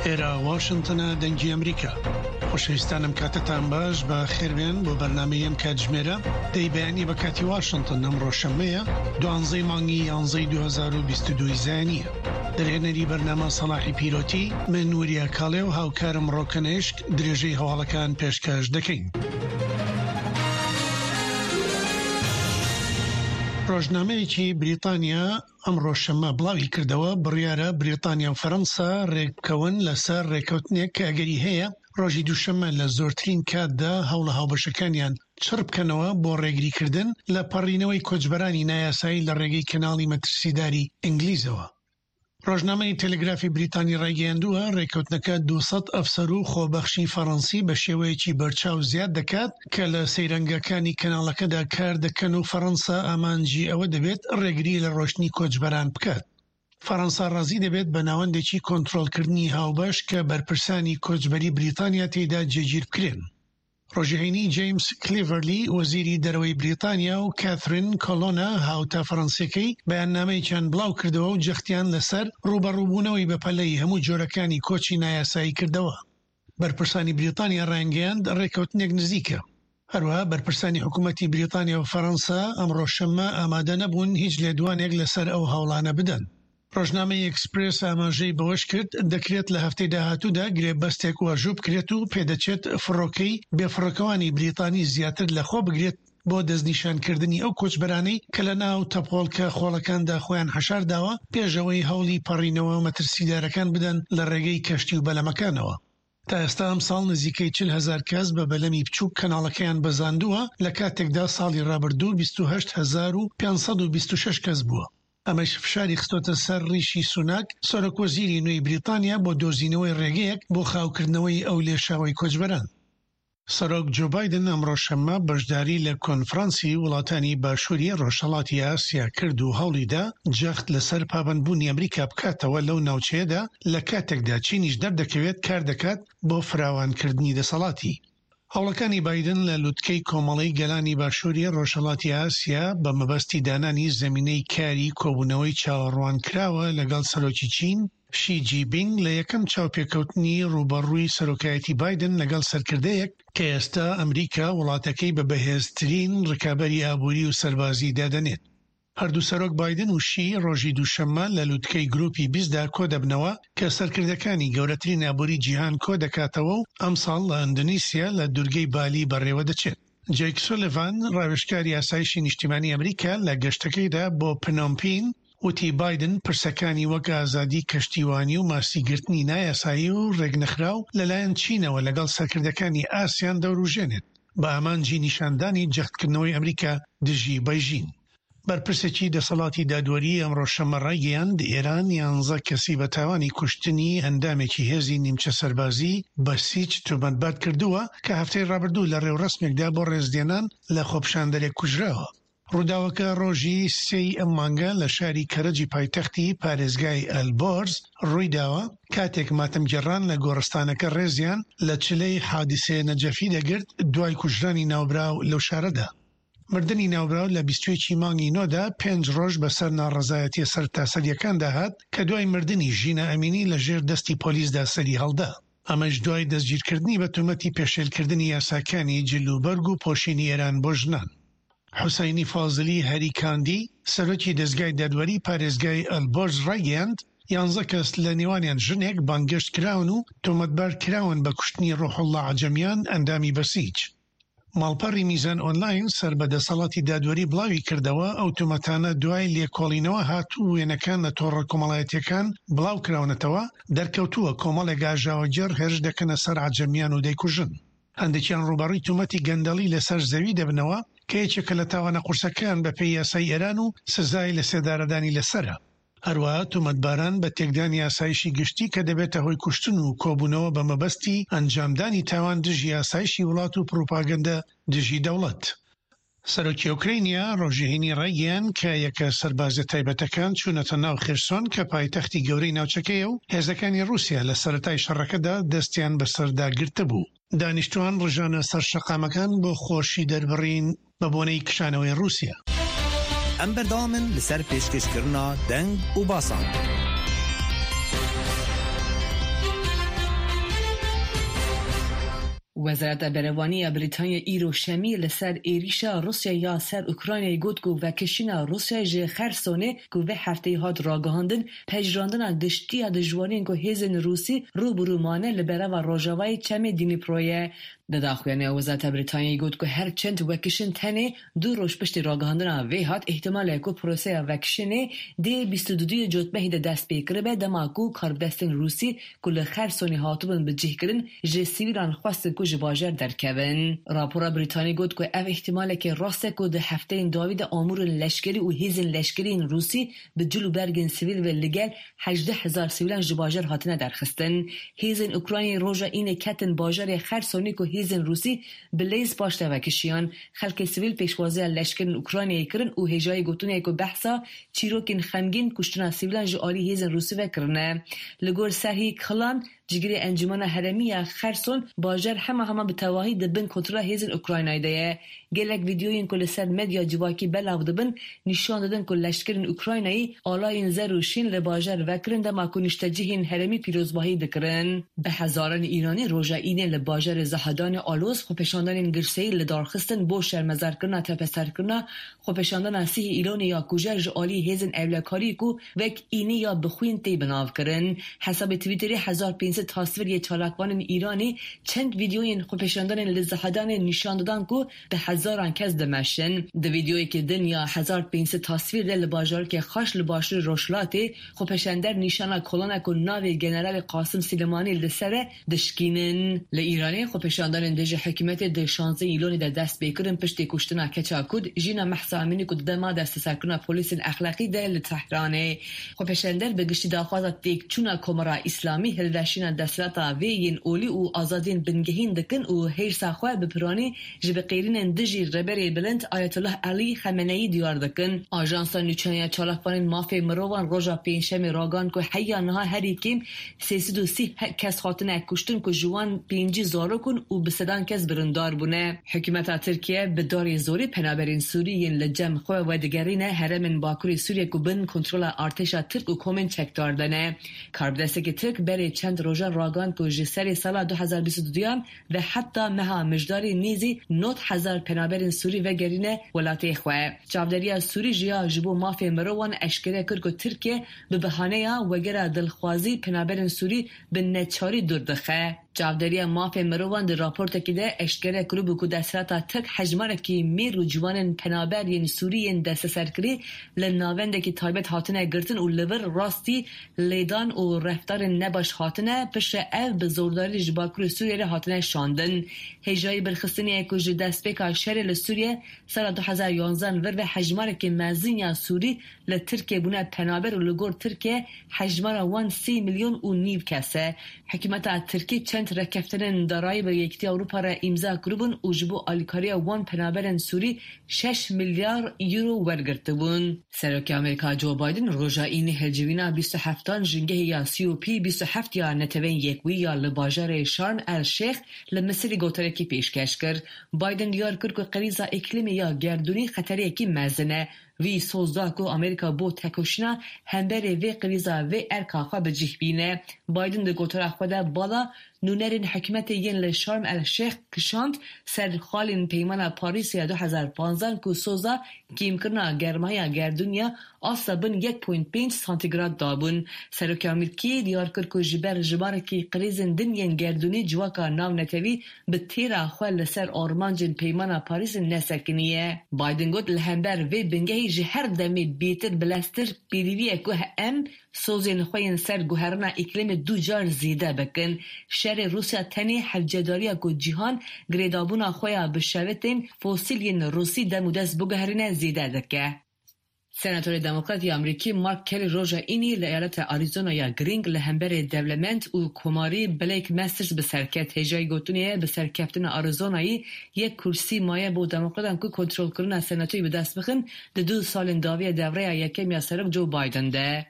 ئێرە واشنتنە دەنگی ئەمریکا. خۆشەویستانم کاتتان باش بە خێربێن بۆ بەرنامەی ئەم کاتژمێرە دەی بەیانی بە کاتی واشنتن ئەمڕۆ شەممەیە دوانزەی مانگی یانزەی 2022 زایەنیە دەرهێنەری بەرنامە سەڵاحی پیرۆتی من وریا کاڵێ و هاوکارم ڕۆکەنێشک درێژەی هەواڵەکان پێشکەش دەکەین. ڕۆژنامەیەکی بریتانیا ئەمڕۆ شەممە بڵاویکردەوە، بڕیارە بریتانیا و فەرەنسا رێکبکەون لەسەر رێککەوتنێک کە ئەگەری هەیە رۆژی دووشەممە لە زۆرترین کاتدا هەوڵە هاوبەشەکانیان چڕبکەنەوە بۆ رێگریکردن لە پەڕینەوەی کۆچبەرانی نایاسایی لە رێگەی کەناڵی مەترسیداری ئینگلیزەوە. ڕۆژنامەی تەلەگرافی بریتانی ڕایگەیاندووە، ڕێککەوتنەکە 200 ئەفسەر و خۆبەخشی فەڕەنسی بە شێوەیەکی بەرچاو زیاد دەکات کە لە سەیرانگاکانی کەناڵەکەدا کار دەکەن و فەڕەنسا ئامانجی ئەوە دەبێت ڕێگری لە ڕۆشتنی کۆچبەران بکات. فەڕەنسا ڕازی دەبێت بە ناوەندێکی کۆنترۆڵکردنی هاوبەش کە بەرپرسانی کۆچبەری بریتانیا تێیدا جێگیر بکرێن. ڕۆژی هەینی جەیمس کلیڤەرلی وەزیری دەرەوەی بریتانیا و کاثرین کۆلۆنا هاوتا فەرەنسیەکەی بەیاننامەیەکیان بڵاوکردەوە و جەختیان لەسەر ڕووبەڕووبوونەوەی بەپەلەی هەموو جۆرەکانی کۆچی نایاسایی کردەوە. بەرپرسانی بریتانیا ڕایانگەیاند ڕێککەوتنێک نزیکە. هەروەها بەرپرسانی حکوومەتی بریتانیا و فەرەنسا ئەمڕۆ شەممە ئامادە نەبوون هیچ لێدوانێک لەسەر ئەو هەوڵانە بدەن. ڕۆژنامەی ئێکسپرێس ئاماژەی بەوەشکرد، دەکرێت لە هەفتەی داهاتوودا گرێبەستێک واژوو بکرێت و پێدەچێت فڕۆکەی بێفڕۆکەوانی بریتانی زیاتر لەخۆ بگرێت بۆ دەستنیشانکردنی ئەو کۆچبەرانەی کە لەناو تەپۆڵکە خۆڵەکاندا خۆیان حەشارداوە پێش ئەوەی هەوڵی پەڕینەوە مەترسیدارەکان بدەن لە ڕێگەی کەشتی و بەلەمەکانەوە. تا ئێستا ئەمساڵ نزیکەی 40 هەزار کەس بە بەلەمی بچووک کەناڵەکەیان بەزاندووە، لە کاتێکدا ساڵی ڕابردوو 28,526 کەس بووە. ئەمەش فشاری خستۆتە سەر ڕیشی سوناک، سەرۆکوەزیری نوێی بریتانیا بۆ دۆزینەوەی ڕێگەیەک بۆ خاوکردنەوەی ئەو لێشاوەی کۆچبەران. سەرۆک جۆ بایدن ئەمڕۆ شەممە بەشداری لە کۆنفرانسی وڵاتانی باشووری ڕۆژهەڵاتی ئاسیا کرد و هەوڵیدا جەخت لەسەر پابەندبوونی ئەمریکا بکاتەوە لەو ناوچەیەدا لە کاتێکدا چینیش دەردەکەوێت کاردەکات بۆ فراوانکردنی دەسەڵاتی. هەوڵەکانی بایدن لە لوتکەی کۆمەڵەی گەلانی باشووری ڕۆژهەڵاتی ئاسیا بە مەبەستی دانانی زەمینەی کاری کۆبوونەوەی چاوەڕوانکراوە لەگەڵ سەرۆکی چین شی جی بینگ لە یەکەم چاوپێکەوتنی ڕووبەڕووی سەرۆکایەتی بایدن لەگەڵ سەرکردەیەک کە ئێستا ئەمریکا وڵاتەکەی بە بەهێزترین ڕکابەری ئابووری و سەربازی دادەنێت. هەردوو سەرۆک بایدن و شی ڕۆژی دووشەممە لە لوتکەی گروپی بیستدا کۆدەبنەوە کە سەرکردەکانی گەورەترین ئابووری جیهان کۆدەکاتەوە و ئەمساڵ لە ئەندۆنیسیا لە دورگەی بالی بەڕێوەدەچێت. جەیک سولیڤان، ڕاوێژکاری ئاسایشی نیشتیمانی ئەمریکا لە گەشتەکەیدا بۆ پنۆمپین وتی بایدن پرسەکانی وەک ئازادی کەشتیوانی و ماسیگرتنی نایاسایی و ڕێکنەخراو لەلایەن چینەوە لەگەڵ سەرکردەکانی ئاسیان دەوروژێنێت بە ئامانجی نیشاندانی جەختکردنەوەی ئەمریکا دژی بەیژین. بەرپرسێکی دەسەڵاتی دادوەریی ئەمڕۆ شەممە ڕایگەیاند، ئێران یانزە کەسی بە تاوانی کوشتنی ئەندامێکی هێزی نیمچە سەربازیی بەسیج تۆمەتبار کردووە کە هەفتەی ڕابردوو لە ڕێوڕەسمێکدا بۆ ڕێزلێنان لە خۆپیشاندەرێک کوژراوە. ڕووداوەکە ڕۆژی سێی ئەم مانگە لە شاری کەرەجی پایتەختی پارێزگای ئەلبۆرز ڕوویداوە، کاتێک ماتەمگێڕان لە گۆڕستانەکە ڕێزیان لە چلەی حادیسێ نەجەفی دەگرت دوای کوژرانی ناوبراو لەو شارەدا. مردنی ناوبراو لە 21 ی مانگی نۆدا پێنج ڕۆژ بەسەر ناڕەزایەتییە سەرتاسەرییەکاندا هات کە دوای مردنی ژینا ئەمینی لە ژێر دەستی پۆلیسدا سەریهەڵدا. ئەمەش دوای دەستگیرکردنی بە تۆمەتی پێشێلکردنی یاساکانی جل و بەرگ و پۆشینی ئێران بۆ ژنان. حوسەینی فازلی هەریکاندی، سەرۆکی دەزگای دادوەری پارێزگای ئەلبۆرز ڕایگەیاند، یانزە کەس لە نێوانیان ژنێک بانگهێشت کراون و تۆمەتبار کراون بە کوشتنی ڕوحوڵڵا عەجەمیان ئەندامی بەسیج. ماڵپەڕی میزان ئۆنلاین سەر بە دەسەڵاتی دادوەری بڵاوی کردەوە، ئەو تۆمەتانە دوای لێکۆڵینەوە هات و وێنەکان لە تۆڕە کۆمەڵایەتییەکان بڵاو کراونەتەوە، دەرکەوتووە کۆمەڵێک ئاژاوەگێڕ هێرش دەکەنە سەر عەجەمیان و دەیکوژن. هەندێکیان ڕووبەڕووی تۆمەتی گەندەڵی لەسەر زەوی دەبنەوە کە یەکێکە لە تاوانە قورسەکان بەپێی یاسای ئێران و سزای لەسێدارەدانی لەسەرە. هەروەها تۆمەتباران بە تێکدانی ئاسایشی گشتی کە دەبێتە هۆی کوشتن و کۆبوونەوە بە مەبەستی ئەنجامدانی تاوان دژی ئاسایشی وڵات و پڕوپاگەندە دژی دەوڵەت. سەرۆکی ئۆکرەینیا ڕۆژی هەینی ڕایگەیاند کە یەکە سەربازیە تایبەتەکان چوونەتە ناو خێرسۆن کە پایتەختی گەورەی ناوچەکەیە و هێزەکانی ڕووسیا لە سەرەتای شەڕەکەدا دەستیان بەسەردا گرتبوو. دانیشتوان ڕژانە سەر شەقامەکان بۆ خۆشی دەربڕین بە بۆنەی کشانەوەی ڕووسیا. ئەم بەردەوامن لەسەر پێشکەشکردنا دەنگ و باسان. Wezareta Berevanî ya Brîtanya îro Şemiyê li ser êrîşa Rûsya ya ser Ukraynayê got ku vekişîna Rûsyayê ji Xersonê ku vê hefteyê hat ragihandin, pejirandina giştî ya dijwariyên ku hêzên Rûsî rû bi rû mane li bereva rojavayê çemê Dnîproyê ye. Di daxuyaniya Wezareta Brîtanyayê got ku her çend vekişîn tenê du roj piştî ragihandina vê hat, îhtimal e ku proseya vekişînê dê 22 yê Cotmehê de dest pê kiribe dema ku karbidestên Rûsî ku li Xersonê hatibûn bicihkirin ji sivîlan xwestin ku ji bajar derkevin. Rapora Brîtanî got ku ev îhtîmaleke rast e ku di hefteyên dawî de amûrên leşkerî û hêzên leşkerî yên Rûsî bi cil û bergên sivîl ve ligel 18,000 sivîlan ji bajar hatine derxistin. Hêzên Ukraynayê roja Înê ketin bajarê Xersonê ku hêzên Rûsî bi lêz paş de vekişiyan. Xelkê sivîl pêşwaziya leşkerên Ukraynayê kirin û hêjayî gotinê ku behsa çîrokên xemgîn kuştina sivîlan ji alî hêzên Rûsî ve kirine. Li gor Serhî Klan, cigirê Encûmena Herêmî ya Xerson, bajar hema hema bi tevahî di bin kontrola hêzên Ukraynayê de ye. Gelek vîdeoyên ku li ser medya civakî belav dibin, nîşan didin ku leşkerên Ukraynayî alayên zer û şîn li bajar vekirin dema ku niştecihên herêmî pîrozbahî dikirin. Bi hezaran Îranî roja Înê li bajarê Zahedanê aloz xwepêşandanên girseyî li dar xistin bo şermezarkirina tepeserkirina xwepêşandana sihê Îranê ya kujer ji aliyê hêzên ewlekarî ku wek Înê ya bi xwîn tê binavkirin. Hesabê Twitterê 1500 tasvir yê çalakvanên Îranê çend vîdeoyên xwepêşandanên li Zahedanê nîşan didan ku bi hezaran kes dimeşin. Di vîdeoyeke din ya 1500 tasvîr de li bajarokê Xaş li başûrê Rojhilatê xwepêşander nîşana kolana ku navê Generalê Qasim Silêmanî li ser e dişkînin. Li Îranê xwepêşandanên dijî hikûmetê di 16 Îlonê de dest pê kirin piştî kuştina keça Kurd Jîna Mehsa Emînî ku di dema desteserkirina polîsên exlaqî de li Tehranê. Xwepêşander bi giştî daxwaza têkçûna Komara Îslamî, hilweşîna desthilata vê yên olî û azadiyên bingehîn dikin û hêrsa xwe bi piranî ji bi qêrînên dijî Rêberê Bilind Ayetullah Elî Xemeneyî diyar dikin. Ajansa Nûçeyan ya Çalakvanên Mafê Mirovan roja Pêncşemê ragihand ku heya niha herî kêm 330 kes hatine kuştin ku ji wan 50 zarok in û bi sedan kes birindar bûne. Hikûmeta Tirkiye bi darê zorê penaberên Sûrî yên li cem xwe vedigerîne herêmên bakurê Sûriye ku bin kontrola artêşa Tirk û komên çekdar de ne. Karbidestekî Tirk berê çend rojan ragihand ku ji serê sala 2022 ve heta meha Mijdarê nêzî 90,000 penaberên Sûrî vegerîne welatê xwe. Çavdêriya Sûrî ji ya ji bo mafê mirovan eşkere kir ku Tirkiye bi bihaneya wegera dilxwazî penaberên Sûrî bi neçarî dûr dixe. Çavdêriya mafê mirovan di raportekî de eşkere kiribû ku desthilata Tirk hejmarekî mêr û ciwanên penaber yên Sûrî yên desteserkirî li navendekî taybet hatine girtin û li vir rastî lêdan û reftarên nebaş hatine, piştre ev bi zordarî ji bakurê Sûriyê re hatine şandin. Hêjayî birxistinê ye ku ji destpêka şerê li Sûriye sala 2011 vir ve hejmarekî mezin ya Sûrî li Tirkiyê bûne penaber û li gor Tirkiye hejmara wan sê milyon û nîv kes e. Hikûmeta Tirkî çend rêkeftinên darayî bi Yekîtiya Ewropa re îmza kiribûn û ji bo alîkariya wan penaberên Sûrî şeş milyar euro wergirtibûn. Serokê Amerîka Joe Biden roja Înê hilcivîna 27an jîngehê ya COP 27 ya Neteweyên Yekbûyî ya li bajarê Şarm El Şêx li Misirê gotarekî pêşkeş kir. Biden diyar kir ku qirîza îklimê ya gerdûnî xetereyekî mezin e. Wî soz da ku Amerîka bo tekoşîna hemberê vê qirîza vê erka xwe bi cih bîne. Biden di gotara xwe de bala nûnerên hikûmetê yên li Şarm El Şêx kişand ser xalên Peymana Parîsê ya 2015 ku soza kêmkirina germahiya gerdûniya asta bin 1.5 santîgrad dabûn. Serokê Amerîkî diyar kir ku ji ber jimarekî qirîzên din yên gerdûnî civaka navnetewî bi têra xwe li ser armancên Peymana Parîsê nesekiniye. Biden got li hember vê bingehî ji her demê bêtir bileztir pêdivî ye ku em sozên xwe yên ser guherina îklimê du car zêde bikin. Şerê Rûsya tenê hevcedariya ku cîhan girêdabûna xwe ya bi şewitên fosîl yên Rûsî dem û dest biguherîne zêde dike. Senatorê Demokrat ya Amerîkî Mark Kelly roja Înê li eyaleta Arizona ya girîng li hemberê dewlemend û komarî Blake Masters bi ser ket. Hêjayî gotinê ye bi serkeftina Arizonayê yek kursî maye bo Demokratan ku kontrolkirina senatoyê bi dest bixin di du salên dawiya dewreya yekem ya serok Joe Biden de.